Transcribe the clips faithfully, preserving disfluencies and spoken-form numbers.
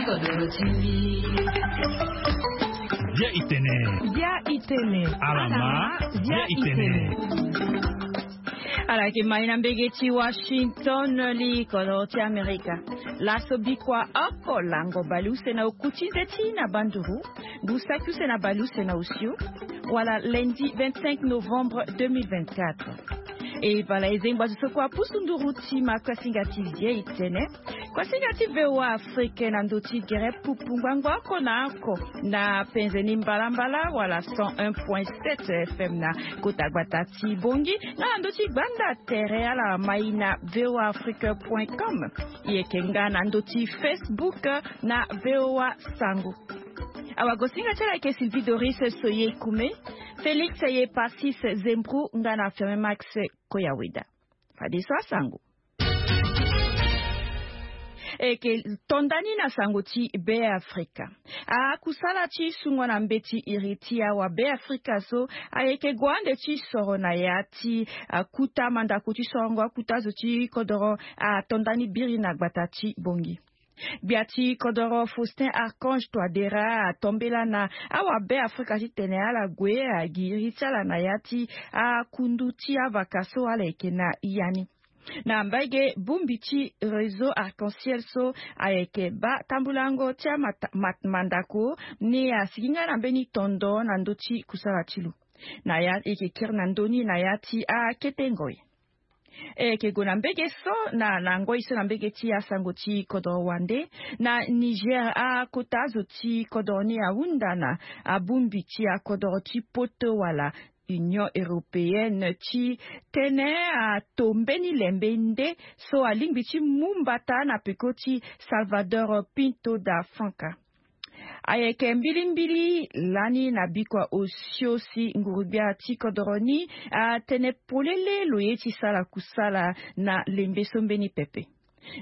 Bia itene. Bia itene. Alama. Bia itene. Ala yeke mai na mbege ti Washington, li kodoro ti Amerika. Laso bikua oko lango baleuse na okuti nze ti na banduru, ngu saki use na baleuse na osio, wala lundi vingt-cinq novembre deux mille vingt-quatre. E bala e zengba zo so kua pusu nduru ti ma kuasinga ti vie itene. Kuasinga ti V O A Afrique na ndö ti gere pupu ngbangbo oko na oko na penze ni mbalambala wala cent un point sept F M na kota gbata ti Bongi, nga na ndö ti gbanda tere ala mai na V O A Afrique point com. E yeke nga na ndö ti Facebook na V O A Sango. Awagosinga ti ala yeke Sylvie Doris Soye Kume, Félix Ye Passis Zembru nga na Firmin Max Koyaweda. Fadeso asango. E yeke to nda ni na sango ti Be Afrika. Akusala ti sungo na mbeti iri ti awa Be Afrika so ayeke gue ande ti soro na ya ti akuta mandako ti sorongo akuta zo ti kodoro ato nda ni biri na gbata ti Bongi. Gbia ti kodoro Faustin Archange Touadéra atombela na awa Be Afrika titene ala gue agi iri ti ala na ya ti akundu ti avaka so ala yeke na ya ni. Na mbage bongbi ti réseau Arc-en-Ciel so ayeke baa tambulango ti amat- mat- mandako ni asigi nga na mbeni tondo na ndö ti kusala ti lo. Na ya e yeke kiri na ndö ni na ya ti akete ngoi. E yeke gue na mbege so na na ngoi so na mbege ti asango ti kodoro wande. Na Niger akota azo ti kodoro ni ahunda na abongbi ti akodoro ti poto wala Union Européenne titene ato mbeni lembe nde so alingbi ti mu mbata na peko ti Salvador Pinto da Franca. Ayeke mbilimbili lani na bikua osio si nguru-gbia ti kodoro ni atene polele lo ye ti sara kusala na lembe so mbeni pepe.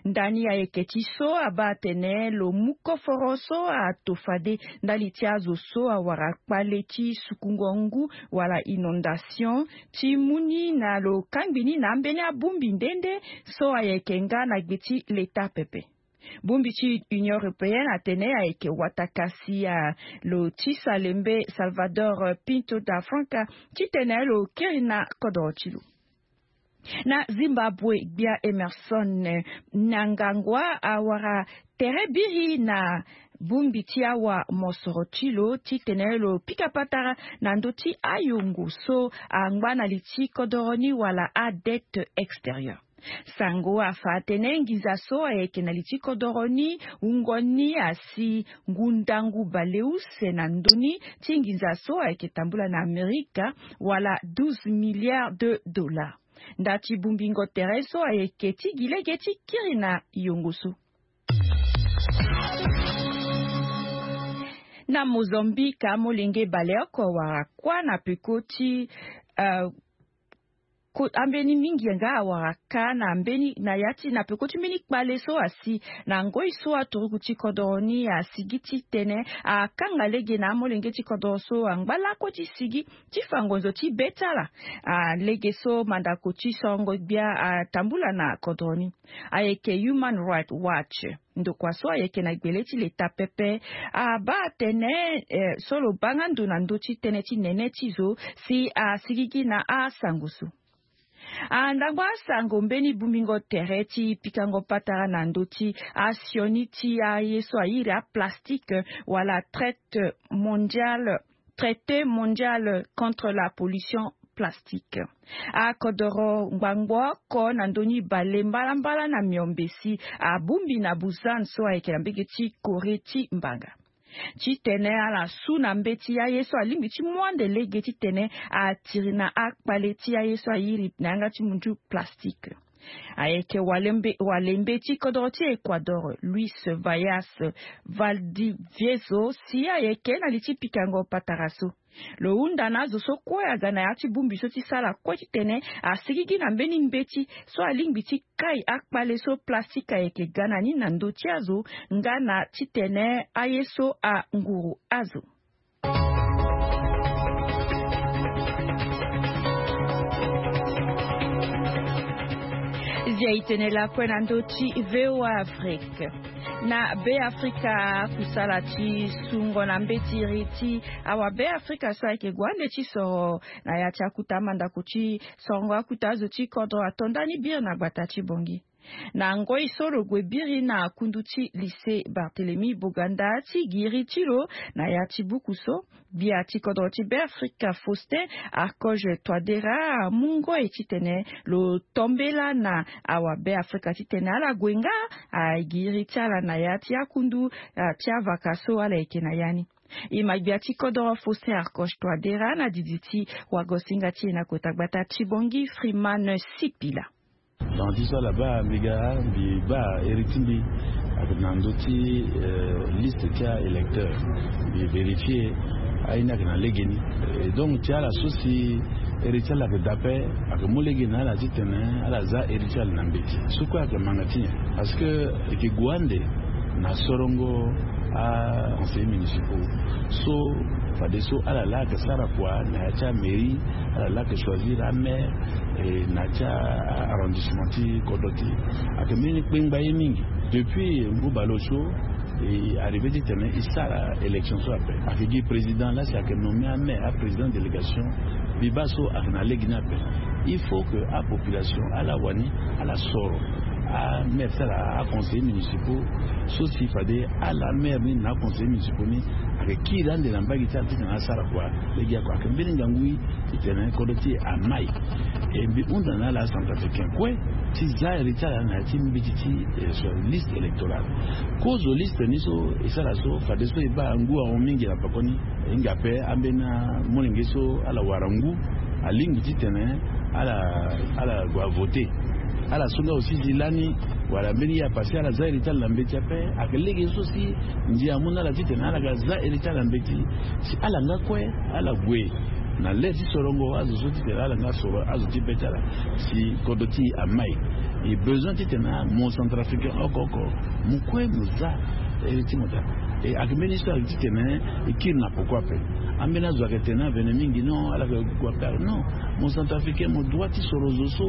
Ndani ayeke ti so abaa atene lo mu koforo so ato fade ndali ti azo so awara kpale ti sukungo ngu wala inondation ti mu ni na lo kangbi ni na ambeni abongbi nde nde so ayeke nga na gbe ti leta pepe. Bongbi ti Union Européenne atene ayeke wata kasi a lo tisa lembe Salvador Pinto da Franca titene lo kiri na kodoro ti lo. Na Zimbabwe, gbia Emerson Mnangagwa awara tere biri na bongbi ti awa mosoro ti lo titene lo pika patara na ndö ti ayongo so angba na li ti kodoro ni wala adette extérieure. Sango afa atene nginza so ayeke na li ti kodoro ni wungo ni asi ngu ndangu baleuse na ndö ni ti nginza so ayeke tambula na Amerika wala douze milliards de dollars. Nda ti bongbingo tere so ayeke ti gi lege ti kiri na yongo so. Na Mozambique amolenge baleoko awara kuâ na peko ti, eh, ko- ambeni mingi nga awara ka na mbeni na ya ti na peko ti mbeni kpale so asi na ngoi so aturuku ti kodoro ni asigi titene akanga lege na amolenge ti kodoro so angba lakue ti sigi ti fa ngonzo ti be ti ala. Ah, lege so mandako ti sorongo gbia atambula na kodro ni ayeke Human Rights Watch. Ndokua so ayeke na gbele ti leta pepe abaa atene, eh, so lo baa nga ndo na ndö ti tënë ti nene ti zo si asigigi na asango so. Ah, ndangba asango mbeni bongbingo tere ti pikango patara na ndö ti asioni ti aye so airi aplastique wala traite mondiale, traité mondial contre la pollution plastique. Akodoro ngbangbo oko na ndö ni bale mbalambala na miombe si abongbi na Busan so ayeke na mbege ti Corée ti mbanga. Titene ala su na mbeti aye so alingbi ti mu ande lege titene atiri na akpale ti aye so airi na yanga ti mundu plastique. Ayeke walembe, walembe ti kodoro ti Ecuador, Luis Vallas Valdivieso, si ayeke na li ti pikango patara so. Lo hunda na azo so kue aga na ya ti bongbi so ti sara kue titene asigigi na mbeni mbeti so alingbi ti kai akpale so plastique ayeke ga na ni na ndö ti azo, nga na titene aye so anguru azo. Dia itene lakue na ndö ti VOA Afrique. Na Be Afrika, kusala ti sungo na mbeti iri ti awa Be Afrika so ayeke gue ande ti soro na ya ti akuta mandako ti sorongo akuta azo ti kodro ato ndani biri na gbata ti Bongi. Na ngoi so lo gue biri na kundu ti lycée Barthélemy Boganda ti giri ti lo na ya ti buku so, gbia ti kodro ti Be Afrika Faustin Archange Touadéra amu ngoi titene lo tombela na awa Be Afrika titene ala gue nga agiri ti ala na ya ti akundu, ah, ti avaka so ala yeke na ya ni. E ma gbia ti kodro Faustin Archange Touadéra na didi ti wagosinga ti e na kota gbata ti Bongi, Freeman Sipila. Donc ti so ala baa mbi ga mbi baa iri ti mbi ayeke na ndö ti, eh, liste ti a-électeur. Mbi vérifier aye ni ayeke na legeni. Et donc ti ala so si iri ti ala ayeke daa ape, ayeke mu lege na ala titene ala za iri ti ala na mbeti. So kue ayeke manga ti nyen? Parce que e yeke gue ande na sorongo a conseillers municipaux so fadeso ala laa ayeke sara kua na ya ti amairie, ala laa ayeke choisir amaire, e na ya ti arrondissement ti kodro ti e. Ayeke mbeni kpengba ye mingi. Depuis ngu baleosio e arrivé titene e sara élection so ape. Ayeke gi président laa si ayeke nommé amaire, aprésident délégation. Mbi baa so ayeke na lege ni ape. Il faut que apopulation ala wani ala soro amaire ti ala, aconseillers municipaux so si fade ala maire ni na aconseillers municipaux ni ayeke kiri ande na mbage ti ala titene asara kua. Lege oko ayeke mbeni ngangu titene kodro ti e amai. E mbi hunda na ala acentrafricain kue ti za iri ti ala na ya ti mbeti ti, eh, sur liste électorale. Kozo liste ni so e sara so fadeso e baa ngu ahon mingi na pekoni. E hinga ape ambeni amolenge so ala wara ngu alingbi titene ala, ala gue avote. Ala so nga aussi si lani wala mbeni ye apase ala za iri ti ala na mbeti ape. Ayeke lege so si ndia amu na ala titene ala ga za iri ti ala na mbeti si ala nga kue ala gue na le ti sorongo azo so titene ala nga soro azo ti be ti ala si kodro ti e amai. E besoin titene mo centrafricain oko oko mo kue mo za iri ti mo daa. E ayeke mbeni histoire titene e kiri na poko ape. Ambeni azo ayeke tene avene mingi non, ala yeke gue ape non. Mo centrafricain mo droit ti soro zo so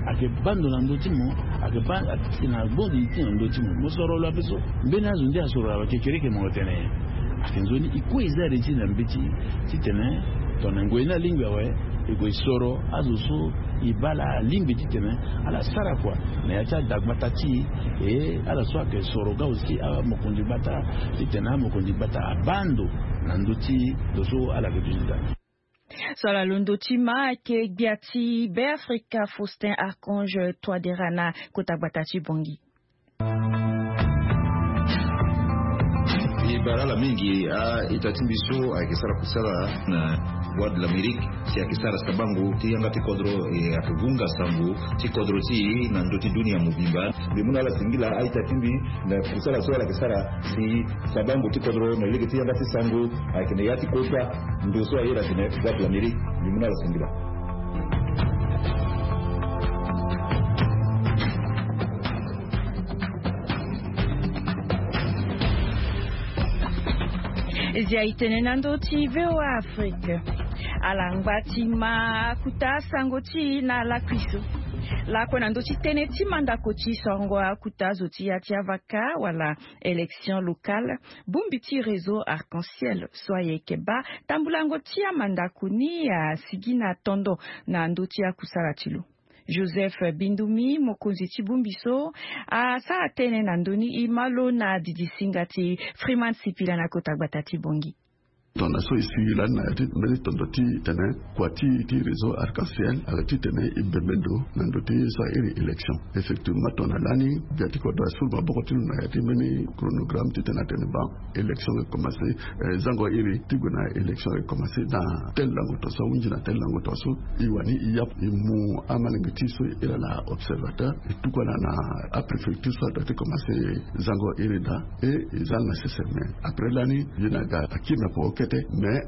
ayeke baa ndo na ndö ti mo, ayeke baa, ayeke na gbondi ti na ndö ti mo. Mo soro lo ape so mbeni azo nde asoro lo awe kekereke mo tene nyen? Ayeke nzoni e kue e za iri ti e na mbeti titene tongana ngoi ni alingbi awe, e gue e soro azo so e baa laa alingbi titene ala sara kua na ya ti adagbata ti e. E ala so ayeke soro ga aussi amokonzi gbata titene amokonzi gbata abaa ndo na ndö ti lo so ala yeke duti daa. So ala londo ti ma ayeke gbia ti Be Afrika Faustin Archange Touadéra na kota gbata ti Bongi. E bara ala mingi a-ita ti mbi so ayeke sara kusala na Voix de l'Amérique si ayeke sara sabango ti yanga ti kodro, e ayeke vunga sango ti kodro ti e na ndö ti dunia mobimba. Mbi mu na ala singila a-ita ti mbi na kusala so ala yeke sara si sabango ti kodro na lege ti yanga ti sango ayeke na ya ti kota ndo so aye na tene Voix de l'Amérique. Mbi mu na ala singila. Zia e tene na ndö ti VOA Afrique. Ala ngba ti ma akuta sango ti e na lakui so. Lakue na ndö ti tënë ti mandako ti sorongo akuta zo ti ya ti avaka wala élection locale, bongbi ti réseau Arc-en-Ciel so ayeke baa tambulango ti amandako ni asigi na tondo na ndö ti akusala ti lo. Joseph Bindumi, mokonzi ti bongbi so, asara tënë na ndö ni. E ma lo na didi singa ti Freeman Sipila na kota gbata ti Bongi. Tongana so e sigi lani na ya ti mbeni tondo ti tene kua ti, ti réseau Arc-en-Ciel ayeke titene e bembe ndo na ndö ti so airi élection. Effectivement tongana lani gbia ti kodro asuru maboko ti lo na ya ti mbeni chronogramme titene atene ba élection e commencé, eh, zango iri ti gue na élection e commencé dans tel lango tongaso, ahunzi na tel lango tongaso. E wani e yapu e mu amalenge ti e so e iri ala observateur, e tuku ala na apréfecture so adoit ti commencé zango iri daa. E e za ala na sese, mais après lani ye na ga akiri na poko. kete. Mais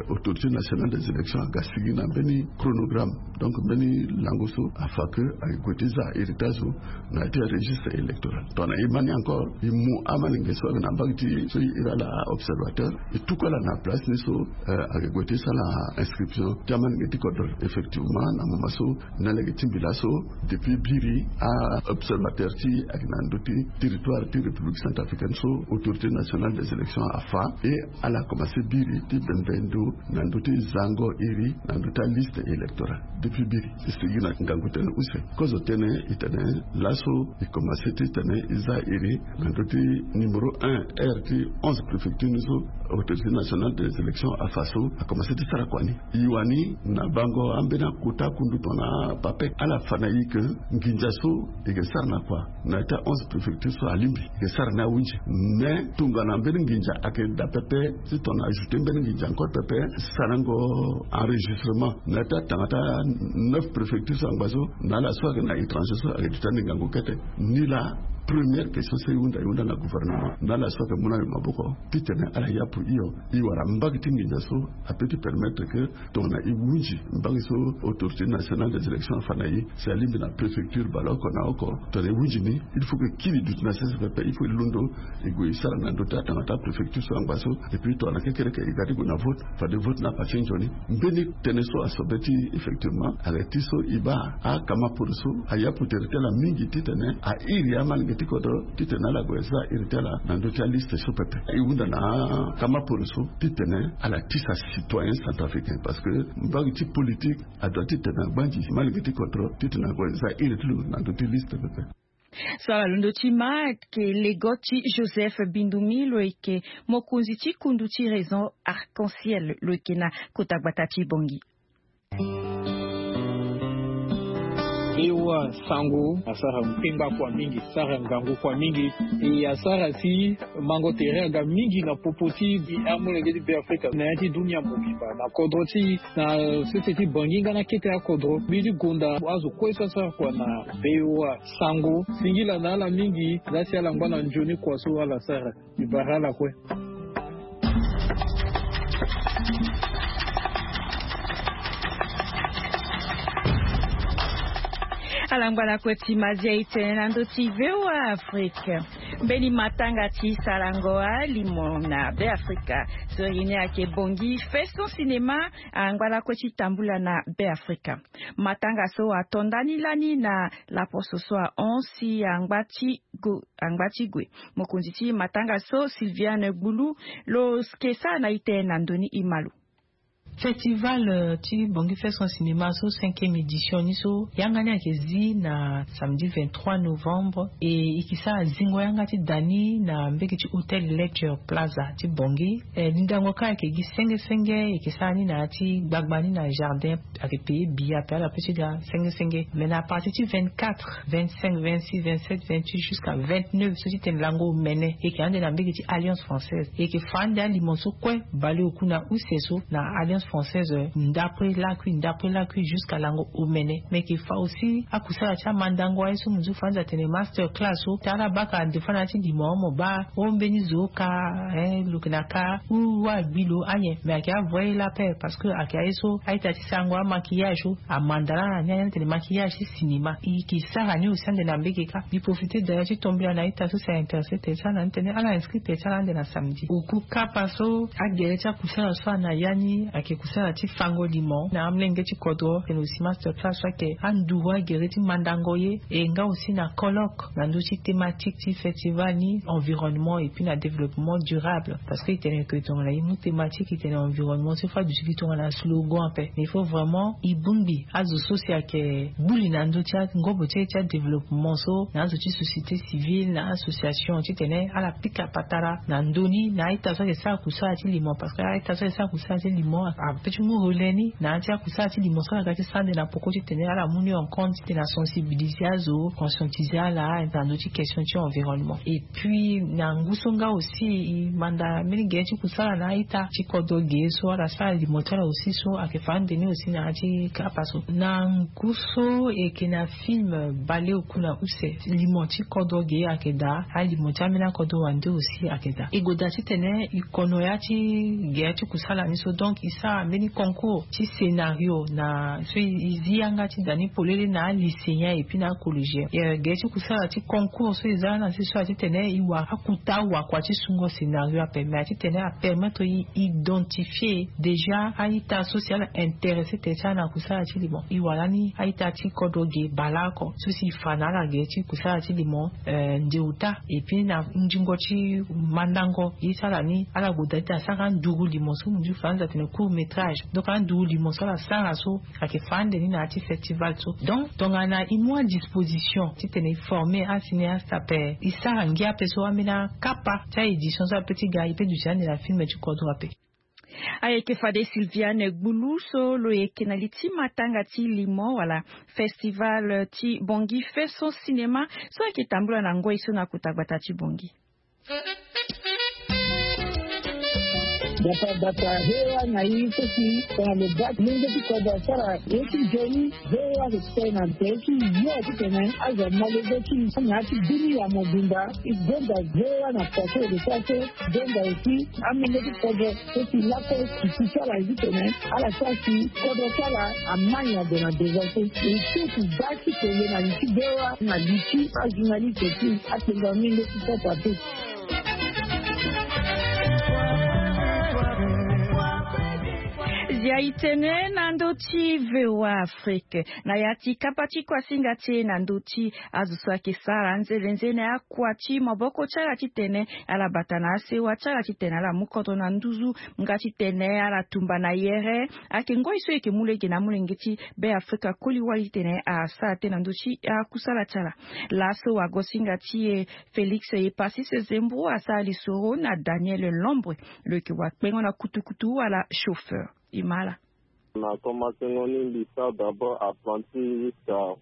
autorité nationale des élections aga sigi na mbeni chronogramme, donc mbeni lango so afa ke ake gue ti za iri ti azo na ya ti aregistre électoral. Tongana e ma ni encore, e mu amalenge so ayeke na mbage ti so e iri ala observateur, e tuku ala na place ni so ake gue ti sara inscription ti amalenge ti kodro. Effectivement, na moment so na lege ti mbi laso, depuis biri a observateur ti e ayeke na ndö ti territoire ti République centrafricaine so autorité nationale des élections afa, e ala commencé biri ti bembe ndo na ndö ti zango iri na ndö ti aliste électorale. Depuis biri e sigi na ngangu tënë use. Kozo tënë e tene laso e commencé ti tene e za iri na ndö ti numéro un, aire ti onze préfecture ni so autorité nationale des élections afa so akomanse ti sara kua ni. E wani na bango ambeni akota kundu tongana papek ala fa na e ke nginza so e ke sara na kua na ya ti a onze préfecture so alingbi e ke sara ni ahunzi. Mais tongana mbeni nginza ake daa pepe ti tongana ajouter mbeni nginza encore pepe, sarango enregistrement na ya ti atanga ti a neuf préfecture so angba so na ala so ake na étranger so ake duti ani ngangu kete. Ni laa première question so e hunda e hunda na gouvernement na ala so ake mu na e maboko titene ala yapu hio. E wara mbage ti nginza so ape ti permettre ke tongana e hunzi mbage so autorité nationale des élections afa na e si alingbi na préfecture baleoko na oko, tongana e hunzi ni il faut ke kiri duti na sese pepe, il faut e londo e gue e sara na ndö ti atanga ti apréfecture so angba so. Et puis tongana kekereke e ga ti gue na vote, fade vote ni apatin nzoni. Mbeni tënë so asobe ti effectivement ayeke ti so e baa akama poro so ayapu tere ti ala mingi titene a iri amalenge ti kodro titene ala gue za iri ti ala na ndö ti aliste so pepe. E hunda na akama poro so titene ala tisa citoyen centrafricain parce que mbage ti politique adoit titene agbanzi amalenge ti kodro titene ague za iri ti lo na ndö ti liste pepe. So ala londo ti ma ayeke lego ti Joseph Bindumi, lo yeke mokonzi ti kundu ti Réseau Arc-en-Ciel, lo yeke na kota gbata ti Bangui. Bewa sango asara mpengba kua mingi, sara ngangu kua mingi. E asara si mango tere aga mingi na popo ti amolenge ti Beafrika na ya ti dunia mobimba na kodro ti na sese ti Bangui nga na kete akodro. Mbi ti gonda azo kue so asara kua na Bewa sango singila na ala mingi. Laa si ala ngba na nzoni kua so ala sara. Mbi bara ala kue. Ala ngba na kue ti mazia e tene na ndö ti Bewa Afrika. Mbeni matanga ti sarango alimo na Beafrika so iri ni ayeke Bangui Fesson Cinéma angba lakue ti tambula na Beafrika. Matanga so ato ndani lani na laposo so ahon si angba ti gue. Mokonzi ti matanga so Sylviane Gbulu lo yeke sara na e tene na ndoni e ma lo. Festival ti Bangui Fesson Cinéma so cinquième édition ni so yanga ni ayeke zi na samedi vingt-trois novembre. E e yeke sara zingo yanga ti da ni na mbege ti Hôtel Lecture Plaza ti Bangui. Lindango kâ ayeke gi senge senge. E yeke sara ni na ya ti gbagba ni na jardin. Ayeke payé billet ape ala pe ti ga senge senge. Mais na partir ti vingt-quatre, vingt-cinq, vingt-six, vingt-sept, vingt-huit jusqu'à vingt-neuf so ti tene lango omene e yeke ande na mbege ti Alliance Française. E yeke fa ande alimo so kue baleoku na use so na Alliance Française. Ndapre lakui ndapre lakui jusqu'à lango omene. Mais e yeke fa aussi akusala ti amandango aye so mo zo fa ande atene master class so ti ala baka ande fa na ya ti limo mo baa o mbeni zo ka. Lo yeke na ka ou agbi lo anyen. Mais ayeke avoye la paix parce que ayeke aye so a-ita ti sarango amaquillage so amanda laa na ni aya ni atene maquillage ti cinéma. E yeke sara ni aussi ande na mbege kâ. Mbi profite d'ailleurs ti tombela na a-ita so si a intéressé tene ti ala na ni tene ala inscrit tene ti ala ande na samedi. Oku kapa so agere ti akusala so ana ya ni ayeke kusala ti fango limo na amolenge ti kodro. Tene aussi master class so ayeke anduru agere ti mandango ye. E nga aussi na colloque na ndö ti thématique ti festival ni environnement et puis na développement durable. Parce que e tene ke tongana e mu thématique e tene environnement so e fa duti gi tongana slogan ape. Mais il faut vraiment e bongbi azo so si ayeke gbu li na ndö ti angobo ti e ti adéveloppement so na azo ti société civile na association titene ala pika patara na ndö ni na a-ita so ayeke sara kusala ti limo. Parce que a-ita so ayeke sara kusala ti limo Ape ti mu relais ni na ya ti akusala ti limo so ala ga ti sande na poko titene ala mu ni en compte titene asensibiliser azo, conscientiser ala na ndö ti question ti environnement. Et puis na ngu so nga aussi e manda mbeni gere ti kusala na a-ita ti kodro ge so ala sara limo ti ala aussi so ayeke fa ande ni aussi na ya ti kapa so. Na ngu so e yeke na film baleoku na use, limo ti kodro ge ayeke daa, alimo ti ambeni akodro wande aussi ayeke daa. E goda titene e kono ya ti gere ti kusala ni so, donc e sara mbeni concours ti scénario na so e zi yanga ti da ni polele na alycéen et puis na acollégien. Gere ti kusala ti concours so e za na si so ala titene e wara akuta wakua ti sungo scénario ape, mais ala titene apermettre e identifier déjà a-ita so si ala intéressé tene ti ala na kusala ti limo. E wara ni a-ita ti kodro ge baleoko so si e fa na ala gere ti kusala ti limo nde ota. Et puis na ndingo ti mandango ye ti ala ni, ala goda ti asara nduru limo so mo nzu fa anza tene court métrage. Donc anduru limo so ala sara so ayeke fa ande ni na ya ti festival so. Donc tongana e mu adisposition titene e former acinéaste ape, e sara ngia ape so ambeni akapa ti a-édition so ape ti ga e pe duti ande na film ti kodro ape. Ayeke fade Sylviane Gbulu so lo yeke na li ti matanga ti limo wala festival ti Bangui Faisons Cinéma so ayeke tambula na ngoi so na kota gbata ti Bangui. Bata bata, hewa na i so si tongana lo baa ti lenge ti kodro asara ye ti nzoni, hewa ayeke tene na nze ti yo titene azo amolenge ti na ya ti dunia mobimba. E gonda hewa na poko e de sara so gonda aussi amolenge ti kodro so si lakue si ti ala ye titene ala sara si kodro ti ala amai na do na deza so e so si baa ti tene na li ti hewa na li ti ajournaliste ti atenga mingi ti papa te. Zia e tene na ndö ti V O A Afrique na ya ti kapa ti kuasinga ti e na ndö ti azo so ayeke sara nzene nzene akua ti maboko ti ala titene ala bata na asewa ti ala titene ala mu kodro na nduzu nga titene ala tumba na yere. Ayeke ngoi so e yeke mu lege na amolenge ti Be Afrika koli wali titene asara tënë na ndö ti akusala ti ala. Laso wagosinga ti e Félix Epasis Zembo asara lisoro na Daniel Lombre, lo yeke wakpengo na kutukutu wala chauffeur. E ma ala. Na komansengo ni mbi sara d'abord apprenti jusqu'à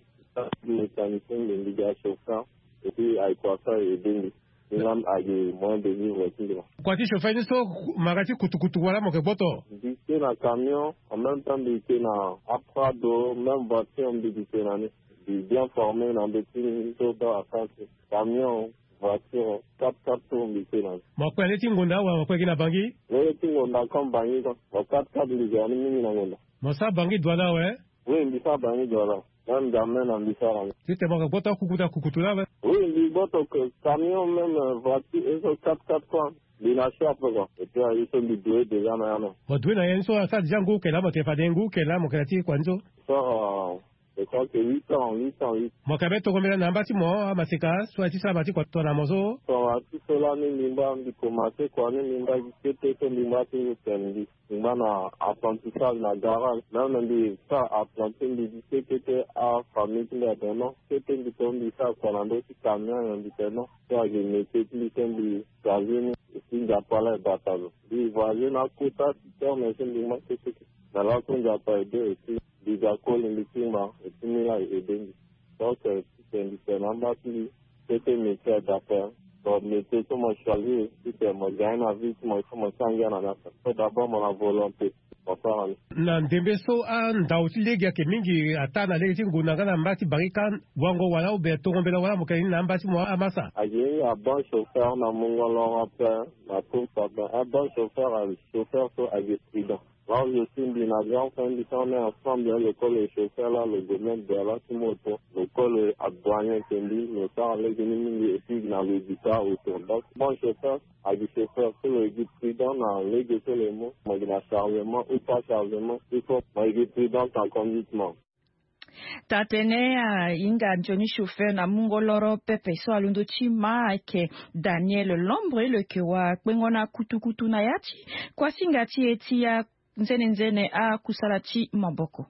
mécanicien, mbi mbi ga chauffeur. Et puis ayeke wasa e aidé mbi. Ni laa ayeke moyen de vivre ti mbi laa. Kua ti chauffeur ni so, mara ti kutukutu wala mo yeke gboto? Mbi te na camion, en même temps mbi te na aprado, même voiture mbi te na ni. Mbi bien formé na ndö ti ni so baa akansi. Camion, voiture, quatre-quatre tours mbi te na ni. Mo kue na le ti ngonda wala mo kue gi na Bangui? Lege ti ngonda comme Bangui comme. Mo quatre-quatre mbi ga ni mingi na ngonda. Mo sara Bangui Douala awe? Oui, mbi sara Bangui Douala. Même jamais na mbi sara ni. Titene mo yeke gboto kukuta kukutu laa awe? Oui, mbi gboto camion, même voiture, et so quatre-quatre quoi. Mbi na chape quoi. Et puis aye so mbi doye déjà na ya no. Mo doye na ya ni so asara déjà ngu oko laa mo tene fade ngu oko laa mo yeke na ti kua ni so? So, je crois que huit ans, huit ans, huit. Mo yeke be tongo mbela na amba ti mo amaseka so aye ti sara ma ti kua tongana mo so? Tongana ti so laa ni mbi ngba mbi commencé kua ni mbi ngba gi kete so mbi ngba ti ngu tene mbi. Mbi ngba na apprentissage na garage. Même mbi sara apprenti mbi gi kete kete afamille ti mbi atene non. Kete mbi to mbi sara kua na ndö ti camion nyen mbi tene non. So ayeke métier ti mbi so mbi choisir ni. Et puis Nzapa laa e bata lo. Mbi voyager na akota ti terme so mbi ngba kete kete. Na laso Nzapa aidé aussi. Mbi ga koli mbi ti ngba et puis ni laa e aidé mbi. Donc titene mbi tene na amba ti mbi, kete métier adapté. Donc métier so mo choisir titene mo gagne na vie ti mo, il faut mo sara ngia na ni ape. So d'abord mo na volonté, mo sara ni. Na ndembe so andau ti lege ayeke mingi ataa na lege ti ngonda nga na mba ti Bangui kâ, wango wala oubien tongo mbela wala mo yeke ni na amba ti mo amasa? Ayeke ni abon chauffeur na mungo loro ape na course ape. Abon chauffeur, chauffeur so ayeke prudent. Là où je suis, mbi na grand frère mbi so on est ensemble, lo koli chauffeur là, lo gue même Douala ti moto, lo koli adouanier ti mbi, lo sara lege ni mingi, et puis na lo gi taa auto. Donc bon chauffeur, agi chauffeur so lo gi prudent na lege so lo mu, mo gi na chargement ou pas chargement, il faut mo gi prudent en conduite mo. Taa-tënë ahinga nzoni chauffeur na mungo loro pepe so alondo ti ma ayeke Daniel Lombre, lo yeke wakpengo na kutukutu na ya ti kuasinga ti e ti anzene nzene akusala ti maboko.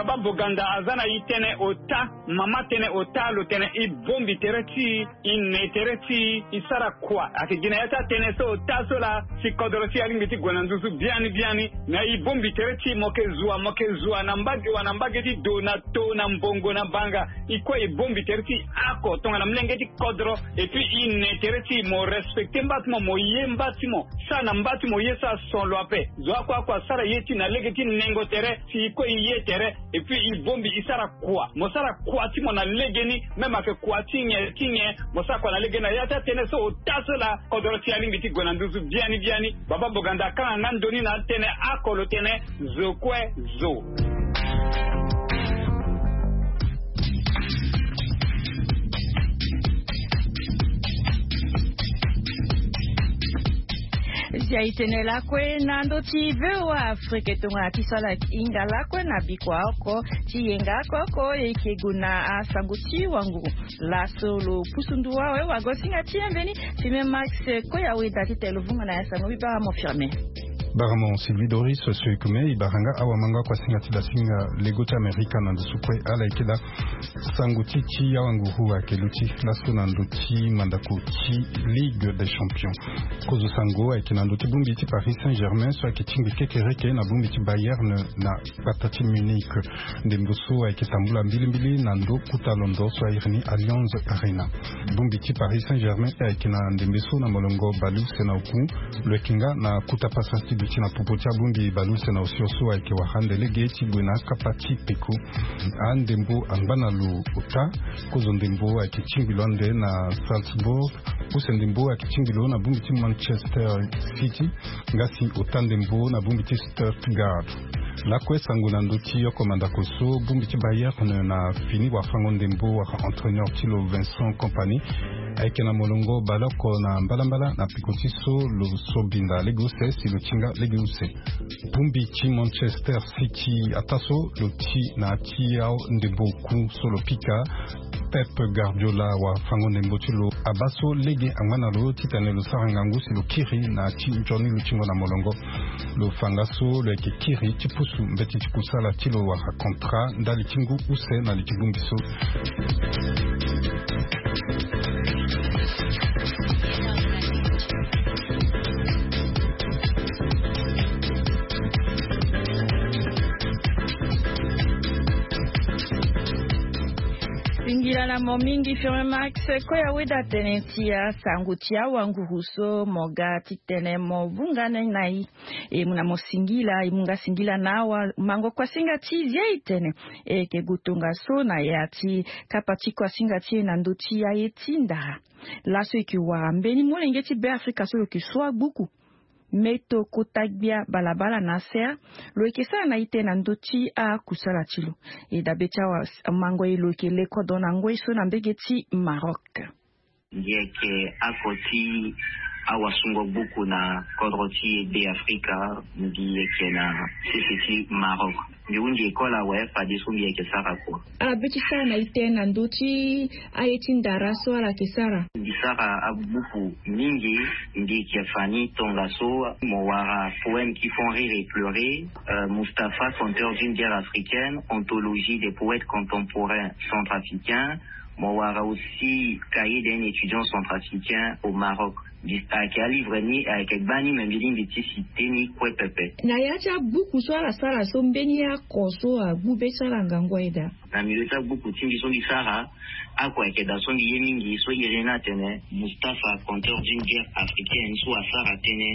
Bamboganda aza na e tënë ota. Mama tënë ota lo tene e bongbi tere ti e, e ne tere ti e, e sara kua. Ayeke gi na ya ti atënë so ota so laa, si kodro ti e alingbi ti gue na nduzu biani biani. Me e bongbi tere ti e, mo yeke zua, mo yeke zua na mbage wa, na mbage ti do, na to, na mbongo, na banga. E kue e bongbi tere ti e oko tongana molenge ti kodro. Et puis e ne tere ti e, mo respecter mba ti mo, mo ye mba ti mo. Sara na mba ti mo ye so ason lo ape. Zo oko oko asara ye ti e na lege ti nengo tere. Si e kue e ye tere, et puis e bongbi e sara kua. Mo sara kua ti mo na legeni, même ayeke kua ti nyen ti nyen, mo sara kua na legeni. Na ya ti atënë so ota so laa, kodro ti e alingbi ti gue na nduzu biani biani. Baba Boganda akanga nga ndoni na atënë oko lo tene zo kue zo. Zia e tene lakue na ndö ti V O A Afrique tongana ti sala hinga lakue na bikua oko ti yenga oko oko e yeke gue na asango ti wanguru. Laso lo pusu nduwa awe wago singa ti e mbeni Firmin Max Koya Weda ti tene lo vunga na ya sango bibara mo Firmin. Baramo Sylvie Doris, so e kume e bara nga awamango akuasinga ti dasinga lego ti Amerika na ndusu kue ala yeke daa. Sango ti ti awanguru ayeke luti laso na ndö ti mandako ti Ligue des Champions. Kozo sango ayeke na ndö ti bongbi ti Paris Saint-Germain so ayeke tingbi kekereke na bongbi ti Bayern na kpata ti Munich. Ndembo so ayeke tambula mbilimbili na ndö kota londo so airi ni Allianz Arena. Bongbi ti Paris Saint-Germain ayeke na ndembe so na molongo baleuse na oku. Lo yeke nga na kota pasa ti duti na popo ti abongbi baleuse na osio so ayeke wara ande lege ti gue na akapa ti peko. Andembo angba na lo ota. Kozo ndembo ayeke tingbi lo ande na Salzburg. Use ndembo ayeke tingbi lo na bongbi ti Manchester City. Nga si ota ndembo na bongbi ti Stuttgart. Lakue sango na ndö ti oko mandako so, bongbi ti Bayern na fini wafango ndembo wala entraîneur ti lo Vincent Kompany ayeke na molongo baleoko na mbalambala na peko ti so lo so binda lege use si lo ti nga lege use. Bongbi ti Manchester City ataa so lo ti na ya ti andembo oku so lo pika Pep Guardiola wafango ndembo ti lo abaa so lege angba na lo titene lo sara ngangu si lo kiri na ya ti nzoni lutingo na molongo. Lo fa nga so lo yeke kiri ti pusu mbeti ti kusala ti lo wala contrat ndali ti ngu use na li ti bongbi so. Singila na mo mingi Firmin Max Koya Weda tene ti asango ti awanguru so mo ga titene mo vunga na e. E mu na mo singila, e mu nga singila na awamango kuasinga ti zia e tene e yeke gue tongaso na ya ti kapa ti kuasinga ti e na ndö ti aye ti ndara. Laso e yeke wara mbeni molenge ti Beafrika so lo yeke so agbuku. Meto kota gbia balabala na asea, lo yeke sara na ite na ndö ti akusala ti lo. E dabe ti awamango e lo yeke le kodro na ngoi so na mbege ti Maroc. Mbi yeke oko ti awasungo gbuku na kodro ti e Beafrika, mbi yeke na sese ti Maroc. Mbi hunzi école awe fadeso mbi yeke sara kua. Ala be ti sara na ite na ndö ti aye ti ndara so ala yeke sara. Mbi sara abuku mingi, mbi yeke fa ni tongaso, mo wara Poèmes qui font rire et pleurer, euh, Mustapha, conteur d'une guerre africaine, anthologie des poètes contemporains centrafricains. Mo wara aussi Cahier d'un étudiant centrafricain au Maroc. Mbi ayeke alivre ni ayeke gbani me mbi lingbi ti citer ni kue pepe. Na ya ti abuku so ala sara so, mbeni oko so agbu be so ala ngangu aye daa? Na milieu ti abuku ti mbi so mbi sara, oko ayeke daa so mbi ye mingi so iri ni atene Mustapha, conteur d'une guerre africaine, so asara tënë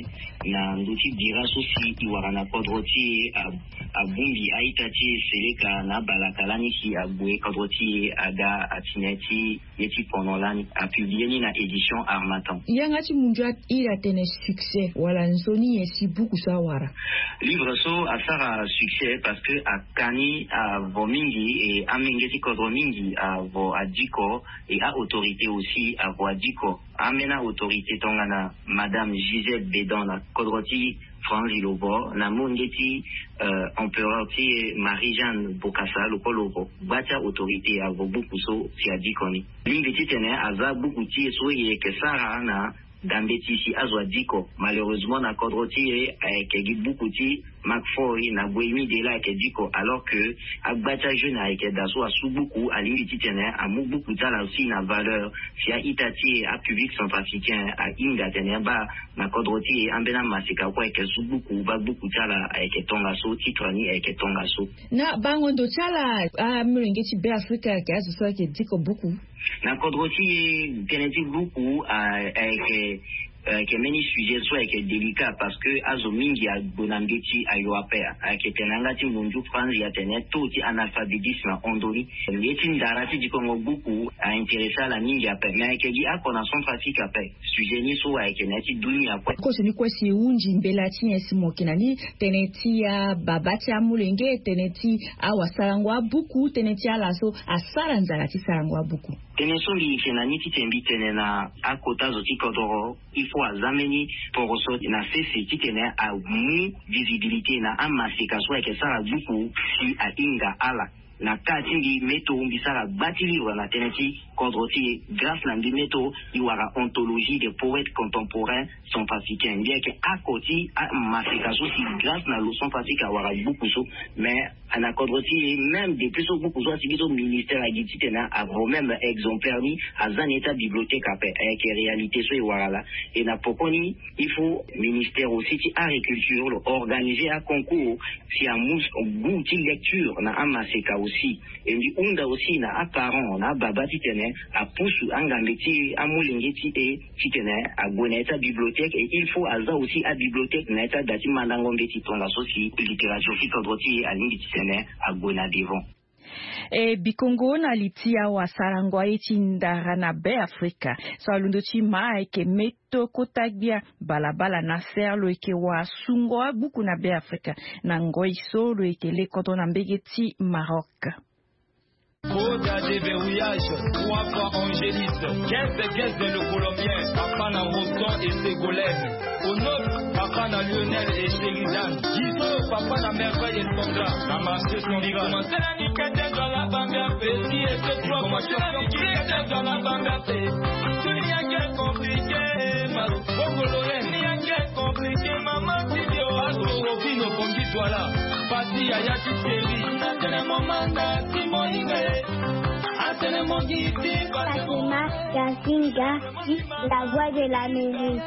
na ndö ti bira so si e wara na kodro ti e, a- abongbi a-ita ti e seleka na abalaka lani si ague kodro ti e aga atene ti ye ti pono lani, apublie ni na édition Harmattan. Yanga ti munzu a- iri atene succès wala nzoni nyen si buku so awara? Livre so asara succès parce que aka ni avo mingi, e amenge ti kodro mingi avo adiko, e a-autorité aussi avo adiko. Ambeni autorité tongana Madame Gisèle Bédon na kodro ti France lo vo, na molenge ti, euh, empereur ti e Marie-Jeanne Bokassa lo kue lo vo. Gba ti autorité avo buku so si adiko ni. Lingbi titene aza buku ti e so e yeke sara na dambe ti si azo adiko. Malheureusement na kodro ti e ayeke gi buku ti Macfoy na Boemi de la ayeke diko, alors que agba ti ajeune ayeke daa so asu gbuku, alingbi titene amu gbuku ti ala aussi na valeur. Si a-ita ti e apublic centrafricain ahinga atene abaa na kodro ti e ambeni amaseka kue ayeke su gbuku, baa gbuku ti ala ayeke tongaso, titre ni ayeke tongaso. Na bango ndo ti ala, amolenge ti Beafrika ayeke azo so ayeke diko buku. Na kodro ti e, tënë ti buku ayeke, ayeke mbeni sujet so ayeke délicat, parce que azo mingi ague na mbeti ayo ape. Ayeke tene na yanga ti mundu franzi atene taux ti analphabétisme ahon ndoni. Ye ti ndara ti dikongo buku a-intéressé ala mingi ape, mais ayeke gi oko na Centrafrique ape. Sujet ni so ayeke na ya ti dunia kue. Koso ni kue si e hunzi mbela ti nyen si mo yeke na ni, tënë ti ababa ti amolenge, tënë ti awasarango abuku, tënë ti ala so asara nzara ti sarango abuku. Tënë so mbi yeke na ni titene mbi tene na akota zo ti kodoro, il faut aza mbeni poroso na sese titene amu visibilité na amaseka so ayeke sara gbuku si ahinga ala. Na cas ti mbi, meto mbi sara gba ti livre na tënë ti kodro ti e. Grâce na mbi, meto e wara anthologie des poètes contemporains centrafricains. Mbi yeke oko ti amaseka so si grâce na lo Centrafrique awara gbuku so. Mais na kodro ti e, même depuis so gbuku so asigi so, ministère agi titene avo même exemplaire ni aza na ye ti abibliothèque ape. Ayeke réalité so e wara laa. Et na pokoni, il faut ministère aussi ti agriculture lo organiser aconcours si amu goût ti lecture na amaseka aussi. Et mbi hunda aussi na aparent, na ababa titene apusu angambe ti amolenge ti e titene ague na ya ti abibliothèque. Et il faut aza aussi abibliothèque na ya ti ada ti mandango mbeti tongaso si littérature ti kodro ti e alingbi titene ague na devant. E bikongo na li ti awasarango aye ti ndara na Beafrika so alondo ti ma ayeke meto kota gbia balabala na ser lo yeke wasungo agbuku na Beafrika na ngoi so lo yeke le kodro na mbege ti Maroc. Code à déverrouillage, trois fois Angéliste, quinze quinze le Colombien, papa na Roston et Ségolène. Onok, papa na Lionel et Sheridan. Giso, papa na Merveille et Sandra. Na marché Sandra. Commencé na nikete, Joala Bambia, petit et ce trois mois. Commencé na nikete, Joala Bambia, petit. Rien qui est compliqué, ma Bongo Lorraine. Rien qui est compliqué, maman, ti dio. Paso Rofino, Bongi Douala. Pati Yaya ti Thierry. Atene mo manda, ti mo inga, eh. Atene mo giti, Fatima Yazinga. La voix de l'Amérique.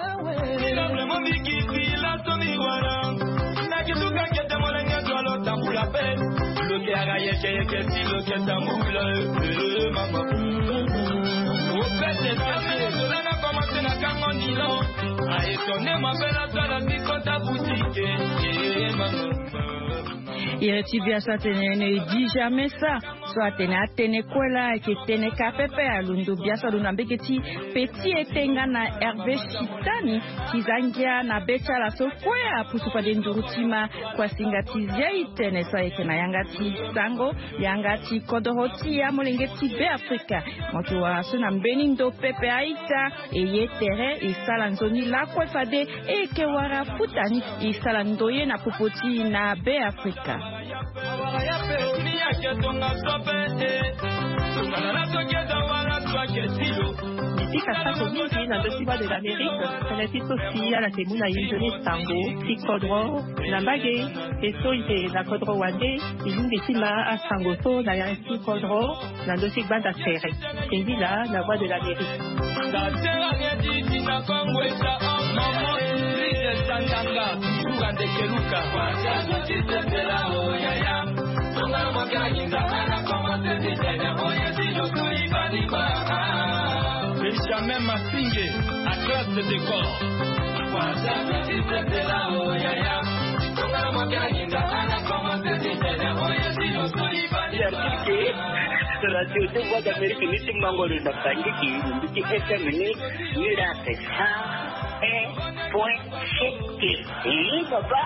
Iri ti bia so atene ne di jamais ça. So atene atene kue laa ayeke tene ka pepe. Alondo bia so alondo na mbege ti Petit Etenga na Hervé Chitani. Ti za ngia na be ti ala so kue apusu fade nduru ti ma kuasinga ti zia itene so ayeke na yanga ti sango, yanga ti kodoro ti amolenge ti Beafrika. Mo yeke wara so na mbeni ndo pepe a-ita. E ye tere e sara nzoni lakue fade e yeke wara futa ni e sara ndoye na popo ti e na Beafrika. Mbi pika sako mingi na ndö ti Voix de l'Amérique, tënë ti so si ala yeke mu na e nzoni sango ti kodro na mbage. E so e yeke na kodro wande, e lingbi ti ma asango so na yanga ti kodro na ndö ti gbanda tere. Singila na Voix de l'Amérique. Benjamin Massingé, à classe de décor. Radio de Voix d'Amérique, ni ti mango lo na Bangui, ni ti F M ni, ni la cent un point sept. Oui, papa.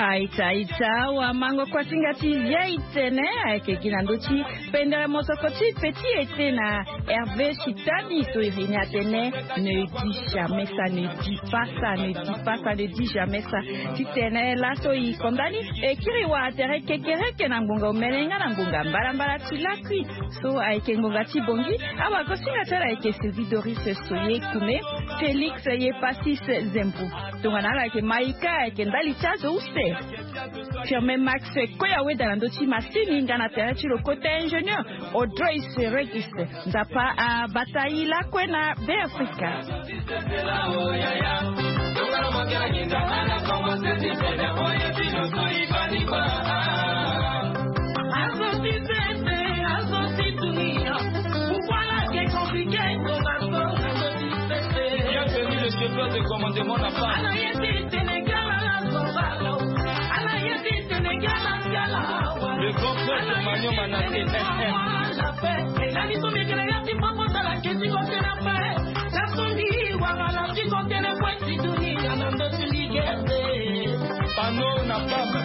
Aita aita, wa mango kuasinga ti via itene ayeke gi na ndö ti pendere mosoko ti petit ete na Hervé Chitani so e reni atene ne dis jamais ça, ne dis pas ça, ne dis pas ça, ne dis jamais ça. Titene laso e konda ni e kiri wa tere kekereke na ngbonga omene nga na ngbonga mbalambala ti lakui. So ayeke ngbonga ti bongi. Awagosinga ti ala ayeke Sylvie Doris Soye Kume, Félix Yepasis Zempu. Tongana ala ayeke maika ayeke ndali ti azo use. Firme Max Koya Weda na ndö ti masini nga na tere ti lo kota ingénieur Audrey Seregis. Nzapa abata i lakue na Be Afrika. Bienvenue le chef de commandement na pas. Le grand frère de Magnon Manassé. Pano na pamba.